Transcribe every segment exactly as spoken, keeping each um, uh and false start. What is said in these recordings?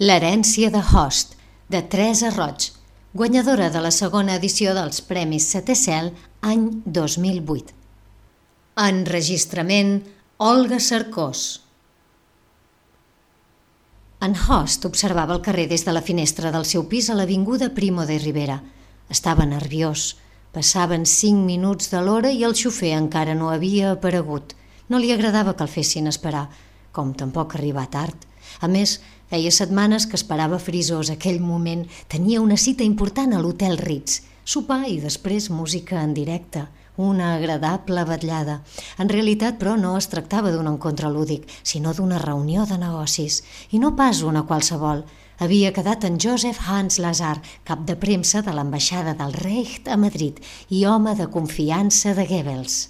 L'herència de Host, de Teresa Roig, guanyadora de la segona edició dels Premis Setè Cel, any dos mil vuit. Enregistrament Olga Cercós. En Host observava el carrer des de la finestra del seu pis a l'avinguda Primo de Rivera. Estava nerviós. Passaven cinc minuts de l'hora i el xofer encara no havia aparegut. No li agradava que el fessin esperar, com tampoc arribar tard. A més, feia setmanes que esperava frisós aquell moment. Tenia una cita important a l'Hotel Ritz. Sopar i després música en directe. Una agradable vetllada. En realitat, però, no es tractava d'un encontre lúdic, sinó d'una reunió de negocis. I no pas una qualsevol. Havia quedat en Joseph Hans Lazar, cap de premsa de l'ambaixada del Reich a Madrid i home de confiança de Goebbels.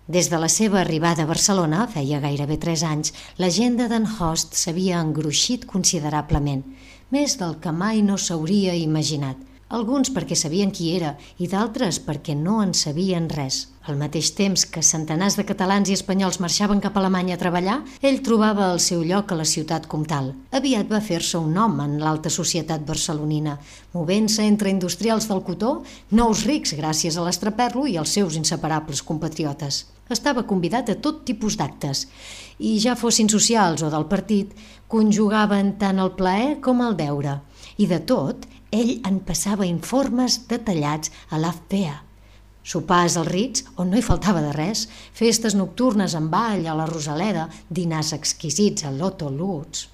Des de la seva arribada a Barcelona, feia gairebé tres anys, l'agenda d'en Host s'havia engruixit considerablement, més del que mai no s'hauria imaginat. Alguns perquè sabien qui era i d'altres perquè no en sabien res. Al mateix temps que centenars de catalans i espanyols marxaven cap a Alemanya a treballar, ell trobava el seu lloc a la ciutat comtal. Aviat va fer-se un nom en l'alta societat barcelonina, movent-se entre industrials del cotó, nous rics gràcies a l'estraperlo i als seus inseparables compatriotes. Estava convidat a tot tipus d'actes i, ja fossin socials o del partit, conjugaven tant el plaer com el deure. I de tot, ell en passava informes detallats a l'A F P A. Sopars al Ritz, on no hi faltava de res, festes nocturnes amb ball a la Rosaleda, dinars exquisits a l'Otto Lutz.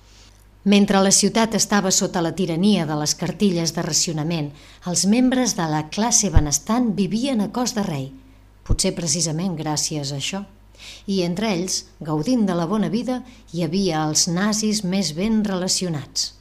Mentre la ciutat estava sota la tirania de les cartilles de racionament, els membres de la classe benestant vivien a cos de rei, potser precisament gràcies a això. I entre ells, gaudint de la bona vida, hi havia els nazis més ben relacionats.